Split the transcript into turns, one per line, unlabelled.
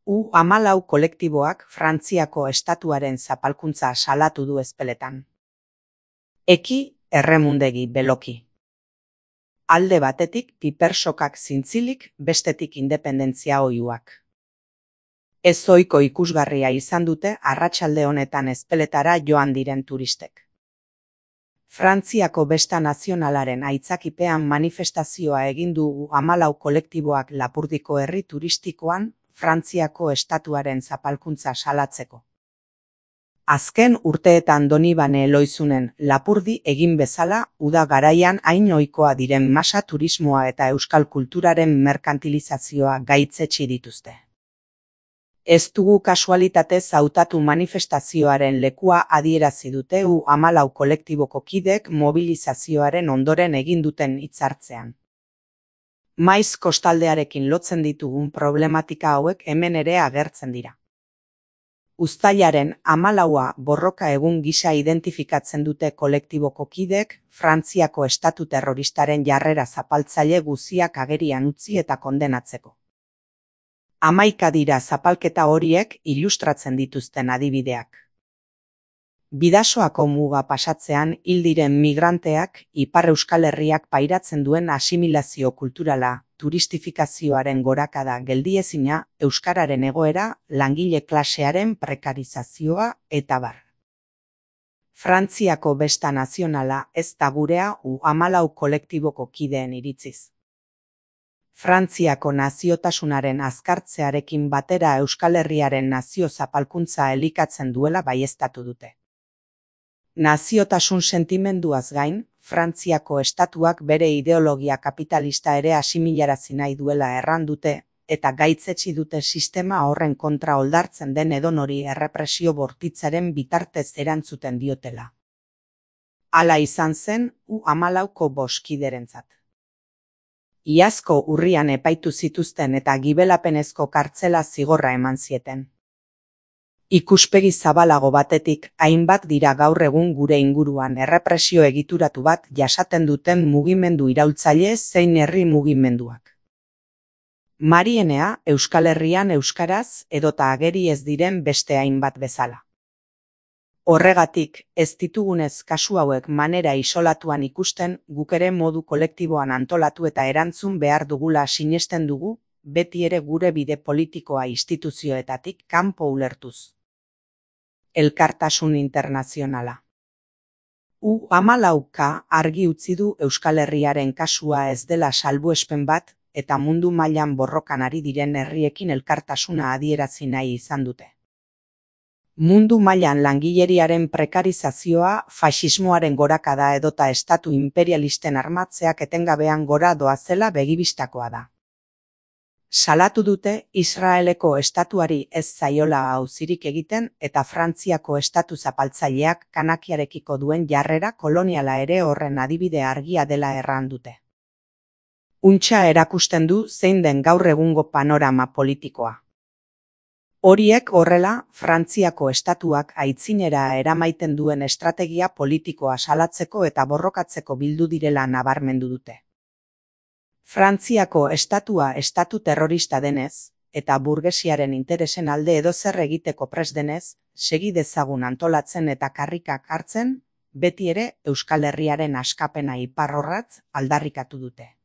U-14 kolektiboak Frantziako estatuaren zapalkuntza salatu du ezpeletan. Eki erremundegi beloki. Alde batetik pipersokak zintzilik, bestetik independentzia oihuak. Ez ohiko ikusgarria izan dute arratsalde honetan ezpeletara joan diren turistek. Frantziako besta nazionalaren aitzakipean manifestazioa egin du U-14 kolektiboak Lapurdiko herri turistikoan Frantziako estatuaren zapalkuntza salatzeko. Azken urteetan Donibane Eloizunen Lapurdi egin bezala uda garaian hain ohikoa diren masa turismoa eta euskal kulturaren merkantilizazioa gaitzetsi dituzte. Ez dugu kasualitatez hautatu manifestazioaren lekua adierazi dute U-14 kolektiboko kidek mobilizazioaren ondoren egin duten hitzartzean. Maiz kostaldearekin lotzen ditugun problematika hauek hemen ere agertzen dira. Uztailaren 14a borroka egun gisa identifikatzen dute kolektiboko kidek Frantziako estatu terroristaren jarrera zapaltzaile guziak agerian utzi eta kondenatzeko. 11 dira zapalketa horiek ilustratzen dituzten adibideak. Bidasoako muga pasatzean hil diren migranteak Ipar Euskal Herriak pairatzen duen asimilazio kulturala, turistifikazioaren gorakada geldiezina, euskararen egoera, langile klasearen prekarizazioa eta bar. Frantziako besta nazionala ez da gurea U-14 kolektiboko kideen iritziz. Frantziako naziotasunaren azkartzearekin batera Euskal Herriaren nazio zapalkuntza elikatzen duela baieztatu dute. Naziotasun sentimenduaz gain, Frantziako estatuak bere ideologia kapitalista ere asimilarazi nahi duela erran dute, eta gaitzetsi dute sistema horren kontra oldartzen den edonori errepresio bortitzaren bitartez erantzuten diotela. Hala izan zen U-14ko boskiderentzat. Iazko urrian epaitu zituzten eta gibelapenezko kartzela zigorra eman zieten. Ikuspegi zabalago batetik, hainbat dira gaur egun gure inguruan errepresio egituratu bat jasaten duten mugimendu iraultzaile zein herri mugimenduak. Marienea Euskal Herrian euskaraz edota ageri ez diren beste hainbat bezala. Horregatik, ez ditugunez kasu hauek manera isolatuan ikusten, guk ere modu kolektiboan antolatu eta erantzun behar dugula sinesten dugu, beti ere gure bide politikoa instituzioetatik kanpo ulertuz. Elkartasun internazionala. U-14ka argi utzi du Euskal Herriaren kasua ez dela salbuespen bat eta mundu mailan borrokan ari diren herriekin elkartasuna adierazi nahi izan dute. Mundu mailan langileriaren prekarizazioa, faxismoaren gorakada edota estatu imperialisten armatzeak etengabean gora doazela begibistakoa da. Salatu dute Israeleko estatuari ez zaiola auzirik egiten eta Frantziako estatu zapaltzaileak kanakiarekiko duen jarrera koloniala ere horren adibide argia dela erran dute. Untxa erakusten du zein den gaur egungo panorama politikoa. Horiek horrela, Frantziako estatuak aitzinera eramaiten duen estrategia politikoa salatzeko eta borrokatzeko bildu direla nabarmendu dute. Frantziako estatua estatu terrorista denez, eta burgesiaren interesen alde edozer egiteko prest denez, segi dezagun antolatzen eta karrikak hartzen, beti ere Euskal Herriaren askapena iparrorratz aldarrikatu dute.